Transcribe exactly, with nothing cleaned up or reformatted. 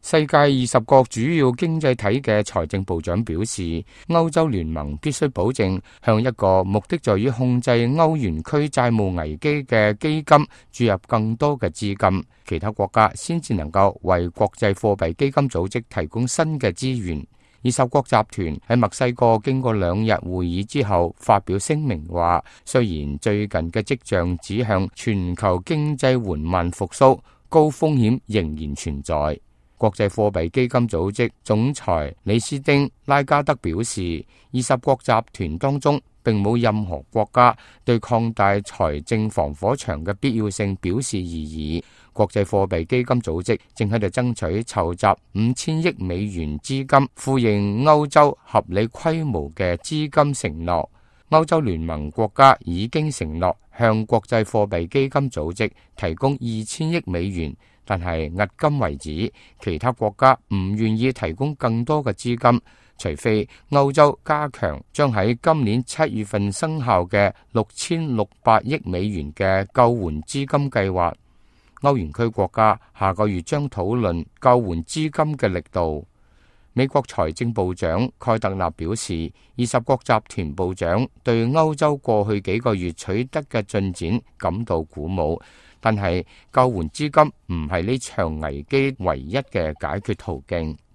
世界二十個主要經濟體嘅財政部長表示，歐洲聯盟必須保證向一個目的在於控制歐元區債務危機嘅基金注入更多嘅資金，其他國家先至能夠為國際貨幣基金組織提供新嘅資源。二十國集團喺墨西哥經過兩日會議之後發表聲明話，雖然最近嘅跡象指向全球經濟緩慢復甦，高風險仍然存在。國際貨幣基金組織總裁李斯丁拉加德表示，二十國集團當中並冇任何國家對擴大財政防火牆嘅必要性表示異議。國際貨幣基金組織正喺度爭取籌集五千億美元資金，呼應歐洲合理規模嘅資金承諾。歐洲聯盟國家已經承諾向國際貨幣基金組織提供二千億美元，但係迄今為止，其他國家唔願意提供更多嘅資金，除非歐洲加強將喺今年七月份生效嘅六千六百億美元嘅救援資金計劃。歐元區國家下個月將討論救援資金嘅力度。美國財政部長蓋特納表示，二十國集團部長對歐洲過去幾個月取得嘅進展感到鼓舞，但係救援資金唔係呢場危機唯一嘅解決途徑。